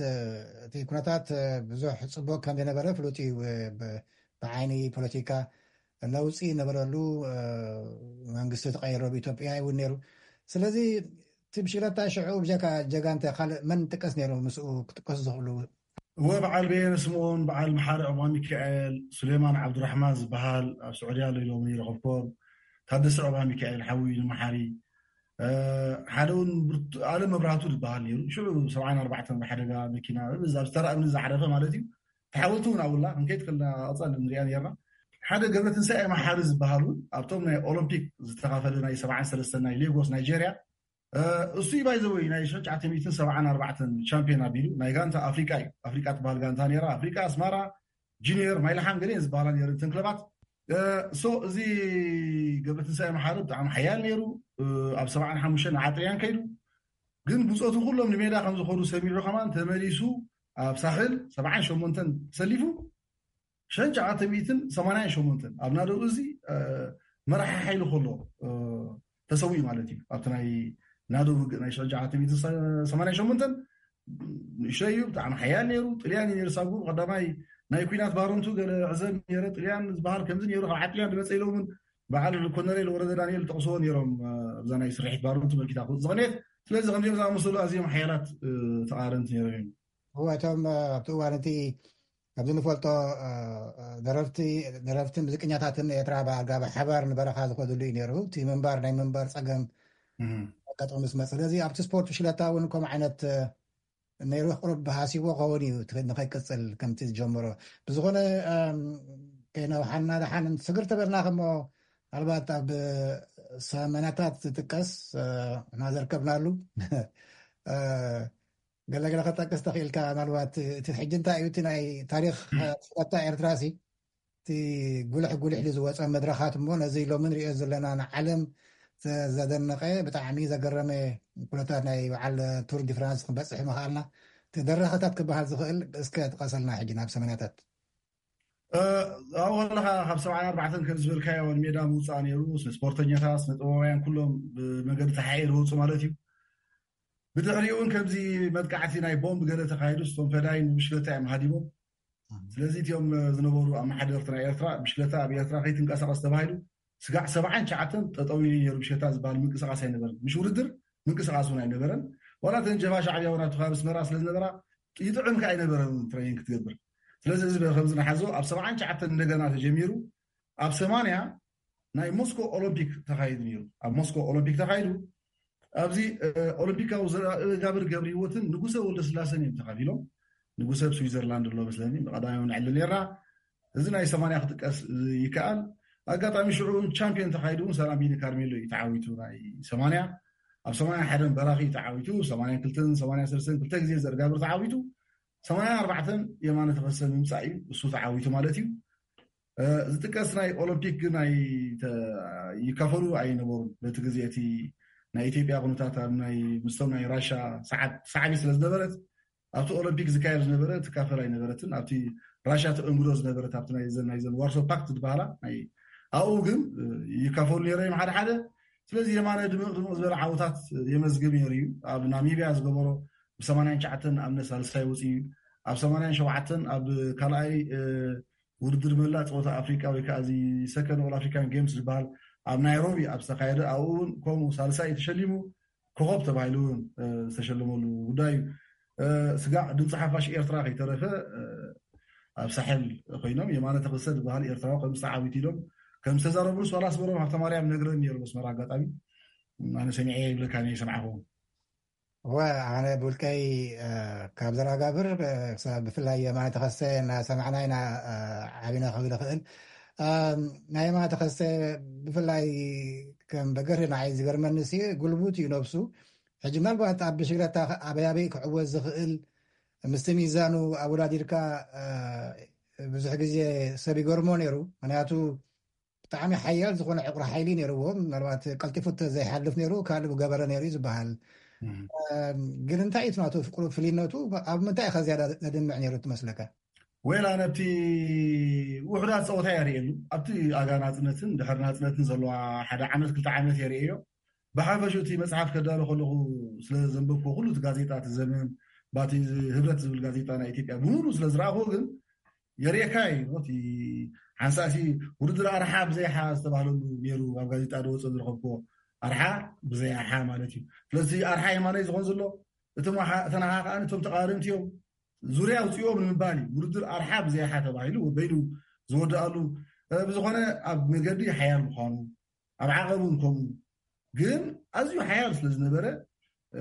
እቲ ኩነታት ብዙሕ ፅቡቅ ከም ዝነበረ ፍሉጥ እዩ። ብ- ብዓይኒ ፖለቲካ ለውፂ ነበረሉ መንግስቲ ተቀይሮ ብኢትዮጵያ እውን ነይሩ። ስለዚ እቲ ብሽክለታ ሽዑ ብጀካ ጀጋንተ ካልእ መን ጥቀስ ነይሩ ምስኡ ክጥቀሱ ዝኽእሉ? እወ በዓል በየነ ስምኦን፣ በዓል መሓሪ ዕባ ሚካኤል፣ ሱሌማን ዓብዱራሕማን ዝበሃል ኣብ ስዑድያ ኣሎ ኢሎም ይረኸብኮም፣ ታደሰ ዕባ ሚካኤል ሓዊ ንመሓሪ ሓደ እውን ኣለም መብራህቱ ዝበሃል ነይሩ። ሽዑ ሰብዓን ኣርባዕተን ብሓደጋ መኪና ኣብ ዝተራ እምኒ ዝዓረፈ ማለት እዩ። ተሓወልቲ እውን ኣብላ ክንከይድ ከልና ኣፃል ንሪኣ ነርና። ሓደ ገብረ ትንሳኤ መሓሪ ዝበሃል እውን ኣብቶም ናይ ኦሎምፒክ ዝተኻፈለ ናይ ሰብዓን ሰለስተን ናይ ሌጎስ ናይጀርያ እሱ ባይዘወይ ናይ ሽሕን ትሽዓተ ሚእትን ሰብዓን ኣርባዕተን ቻምፒዮን ኣቢሉ ናይ ጋንታ ኣፍሪቃ እዩ። ኣፍሪቃ ትበሃል ጋንታ ነራ ኣፍሪቃ ኣስማራ ጂኒየር ማይልሓም ገለ ዝበሃላ ነረ እተን ክለባት። ሶ እዚ ገብረ ትንሳኤ መሓሪ ብጣዕሚ ሓያል ነይሩ። ኣብ ሰብዓን ሓሙሽተን ዓጥርያን ከይዱ ግን ብፆቱ ኩሎም ንሜዳ ከም ዝኾኑ ሰሚዑ ከማን ተመሊሱ ኣብ ሳሕል ሰብዓን ሸሞንተን ተሰሊፉ ሸንጫ ዓተ ሚእትን ሰማንያን ሸሞንተን ኣብ ናደው እዚ መራሒ ሓይሊ ከሎ ተሰዊኡ ማለት እዩ። ኣብቲ ናይ ናደው ውግእ ናይ ሸንጫ ዓተ ሚእትን ሰማንያን ሸሞንተን ንእሽተይ እዩ፣ ብጣዕሚ ሓያል ነይሩ። ጥልያን እዩ ነይሩ ሳጉ ቀዳማይ ናይ ኩናት ባረንቱ ገለ ዕዘብ ነረ ጥልያን ዝበሃል ከምዚ ነይሩ ካብ ዓጥልያን ዝመፀ ኢሎምን በዓል ኮነሬል ወረደ ዳንኤል ጠቕስዎ ነይሮም። ኣብዛ ናይ ስርሒት ባረንቱ መልኪታ ዝቐንየት ስለዚ ከምዚኦም ዝኣመሰሉ ኣዝዮም ሓያላት ተቓረንቲ ነይሮም እዮም። እወ እቶም ኣብቲ እዋን እቲ ኣብዚ ንፈልጦ ደረፍቲ ደረፍቲ ሙዚቀኛታትን ኤርትራ ብኣጋብ ሓባር ንበረኻ ዝኸድሉ እዩ ነይሩ። እቲ ምንባር ናይ ምንባር ፀገም ኣጋጠሙ ምስ መፅ ስለዚ ኣብቲ ስፖርት ሽለታ እውን ከምኡ ዓይነት ነይሩ። ቁሩብ ሃሲቦ ከውን እዩ ንኸይቅፅል ከምቲ ዝጀመሮ ብዝኾነ ከይነውሓና ደሓን ስግር ተበልና ከሞ ምናልባት ኣብ ሰመናታት ዝጥቀስ እና ዘርከብናሉ ገለገለ ከጠቅስ ተኽእልካ? ምናልባት እቲ ሕጂ እንታይ እዩ እቲ ናይ ታሪኽ ሽረታ ኤርትራ ሲ እቲ ጉልሕ ጉልሕ ዝወፀ መድረኻት እሞ ነዚ ሎሚ ንሪኦ ዘለና ንዓለም ዘደነቐ ብጣዕሚ ዘገረመ ኩነታት ናይ በዓል ቱር ዲ ፍራንስ ክንበፅሕ ምኽኣልና እቲ ደረኸታት ክበሃል ዝኽእል እስከ ጥቀሰልና ሕጂ ናብ ሰመናታት። ኣብኡ ከለካ ካብ ሰብዓን ኣርባዕተን ከም ዝበልካዮ ንሜዳ ምውፃእ ነይሩ። ስነ ስፖርተኛታት፣ ስነ ጥበባውያን ኩሎም ብመገዲ ተሓኤ ዝወፁ ማለት እዩ። ብድሕሪኡ እውን ከምዚ መጥቃዕቲ ናይ ቦምብ ገለ ተካሂዱ፣ ስቶም ፈዳይን ብሽክለታ እዮም ሃዲሞም። ስለዚ እቲኦም ዝነበሩ ኣመሓደርቲ ናይ ኤርትራ ብሽክለታ ኣብ ኤርትራ ከይትንቀሳቀስ ተባሂሉ ስጋዕ ሰብዓን ትሽዓተን ጠጠው ኢሉ ነይሩ። ብሽክለታ ዝበሃል ምንቅስቃስ ኣይነበረን፣ ምሽ ውድድር ምንቅስቃስ እውን ኣይነበረን። ዋላ እተን ጀብሃ ሻዕብያ እውን ኣብቲ ከባቢ ኣስመራ ስለዝነበራ ይጥዕም ከ ኣይነበረን ትሬኒንግ ክትገብር። ስለዚ እዚ ከምዚ ንሓዞ ኣብ ሰብዓን ትሽዓተን እንደገና ተጀሚሩ ኣብ ሰማንያ ናይ ሞስኮ ኦሎምፒክ ተኻይዱ ነይሩ። ኣብ ሞስኮ ኦሎምፒክ ተኻይዱ ኣብዚ ኦሎምፒካዊ ዘጋብር ገብሪ ህይወትን ንጉሰ ወልደ ስላሰን እዮም ተኻፊሎም። ንጉሰ ኣብ ስዊዘርላንድ ኣሎ መስለኒ፣ ብቀዳማይ ንዕሊ ነራ። እዚ ናይ ሰማንያ ክጥቀስ ይከኣል። ኣጋጣሚ ሽዑ ቻምፒዮን ተኻይዱ እውን ሰላም ቢኒ ካርሜሎ እዩ ተዓዊቱ። ናይ ሰማንያ ኣብ ሰማንያ ሓደን በራኺ እዩ ተዓዊቱ። ሰማንያ ክልተን ሰማንያ ሰለስተን ክልተ ግዜ ዘርጋብር ተዓዊቱ። ሰማንያ ኣርባዕተን የማነ ተኸሰ ምምፃእ እዩ እሱ ተዓዊቱ ማለት እዩ። ዝጥቀስ ናይ ኦሎምፒክ ግን ይካፈሉ ኣይነበሩን። በቲ ግዜ እቲ ናይ ኢትዮጵያ ኩነታት ኣብ ናይ ምስቶም ናይ ራሻ ሰዓት ሳዕቢ ስለ ዝነበረት ኣብቲ ኦሎምፒክ ዝካየድ ዝነበረ ትካፈል ኣይነበረትን። ኣብቲ ራሻ ተእንግዶ ዝነበረት ኣብቲ ናይዘን ናይዘን ዋርሶ ፓክት ዝበሃላ ናይ ኣብኡ ግን ይካፈሉ ነይረ እዮም ሓደ ሓደ። ስለዚ የማነ ድምቕ ድምቕ ዝበለ ዓወታት የመዝግብ ነይሩ እዩ። ኣብ ናሚብያ ዝገበሮ ብ ሰማንያን ትሽዓተን ኣብ ሳልሳይ ወፂኡ እዩ። ኣብ ሰማንያን ሸውዓተን ኣብ ካልኣይ ውድድር መላእ ፀወታ ኣፍሪቃ ወይ ከዓ እዚ ሰከንድ ኦል ኣፍሪካን ጌምስ ዝበሃል ኣብ ናይሮቢ ኣብ ዝተካየደ ኣብኡ እውን ከምኡ ሳልሳይ ተሸሊሙ ኮኸብ ተባሂሉ እውን ዝተሸለመሉ ጉዳይ እዩ። ስጋዕ ድምፂ ሓፋሽ ኤርትራ ከይተረፈ ኣብ ሳሕል ኮይኖም የማነ ተኸሰ ዝበሃል ኤርትራዊ ከም ዝተዓዊት ኢሎም ከም ዝተዛረብሉ ዋላ ኣስመሮም ሃብተማርያም ነግረን ነይሩ መስመር ኣጋጣሚ ኣነ ሰሚዐ ይብለካ እየ ሰምዓኹም። ወ ኣነ ብውልቀይ ካብ ዘረጋብር ብፍላይ የማነ ተኸሰ እናሰማዕና ኢና ዓቢና ክብል ይኽእል። ናይ የማነ ተኸሰ ብፍላይ ከም በገር ንዓይ ዝገርመኒ ሲ ጉልቡት እዩ ነብሱ። ሕጂ ምናልባት ኣብ ብሽግለታ ኣበያበይ ክዕወት ዝኽእል ምስቲ ሚዛኑ ኣወዳዲርካ ብዙሕ ግዜ ሰብ ይገርሞ ነይሩ። ምክንያቱ ብጣዕሚ ሓያል ዝኾነ ዕቑሪ ሓይሊ ነይርዎ። ምናልባት ቀልጢፉ ዘይሓልፍ ነይሩ ካልእ ገበረ ነይሩ እዩ ዝበሃል። ግን እንታይ እዩ ናቱ ፍቅሩ ፍልይነቱ ኣብ ምንታይ ኢኻ ዝያዳ ዘድምዕ ነይሩ ትመስለካ? ወላ ነቲ ውሕዳት ፀወታ የርእየሉ ኣብቲ ኣጋ ናፅነትን ድሕሪ ናፅነትን ዘለዋ ሓደ ዓመት ክልተ ዓመት የርእዮ። ብሓፈሹ እቲ መፅሓፍ ከዳሎ ከለኹ ስለ ዘንበብኩ ኩሉ እቲ ጋዜጣ እቲ ዘመን ባቲ ህብረት ዝብል ጋዜጣ ናይ ኢትዮጵያ ብምሉ ስለ ዝረኣኹ ግን የርእየካ እዩ። እቲ ሓንሳእሲ ውድድር ኣርሓ ብዘይሓ ዝተባህለሉ ነይሩ ኣብ ጋዜጣ ዝወፀ ዝረኸብኩዎ ኣርሓ ብዘይ ኣርሓ ማለት እዩ። ስለዚ ኣርሓ የማነይ ዝኾን ዘሎ እቶም ኣሓ- እተን ኣሓ ከዓ እቶም ተቃረንቲ እዮም ዙርያ ኣውፅኦም ንምባል እዩ። ውድድር ኣርሓ ብዘይ ኣሓ ተባሂሉ በይኑ ዝወድኣሉ እ፣ ብዝኾነ ኣብ መገዲ ሓያል ምዃኑ ኣብ ዓቐብ እውን ከምኡ ግን ኣዝዩ ሓያል ስለ ዝነበረ እ፣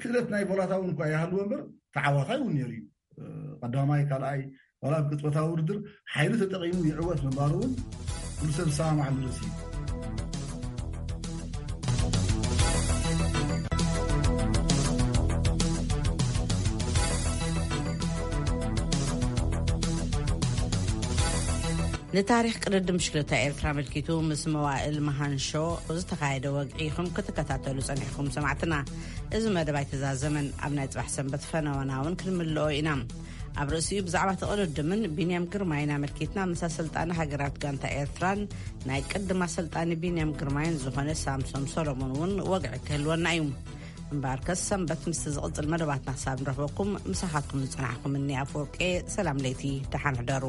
ክእለት ናይ ቮላታ እውን እኳ ይሃልዎ እምበር ተዓዋታይ እውን ነይሩ እዩ። እ፣ ቀዳማይ ካልኣይ ዋላ ኣብ ቅጽበታዊ ውድድር ሓይሉ ተጠቒሙ ይዕወት ምንባሩ እውን ኩሉ ሰብ ዝሰማማዓሉ ርእሲ እዩ። ንታሪኽ ቅድድም ብሽክለታ ኤርትራ ኣመልኪቱ ምስ መዋእል መሃንሾ ዝተኻየደ ወግዒ ኢኹም ክትከታተሉ ጸኒሕኩም ሰማዕትና። እዚ መደብ ኣይተዛዘመን። ኣብ ናይ ጽባሕ ሰንበት ፈነወና እውን ክንምልኦ ኢና። ኣብ ርእሲኡ ብዛዕባ እቲ ቅድድምን ቢንያም ግርማይን ኣመልኪትና ምስ ኣሰልጣኒ ሃገራት ጋንታ ኤርትራን ናይ ቅድም ኣሰልጣኒ ቢንያም ግርማይን ዝኾነ ሳምሶም ሰሎሞን እውን ወግዒ ክህልወና እዩ። እምበኣርከስ ሰንበት ምስቲ ዝቕጽል መደባትና ክሳብ ንረኽበኩም ምሳኻትኩም ዝጸናሕኩም እኒ ኣፍወርቄ ሰላም ለይቲ ደሓን ሕደሩ።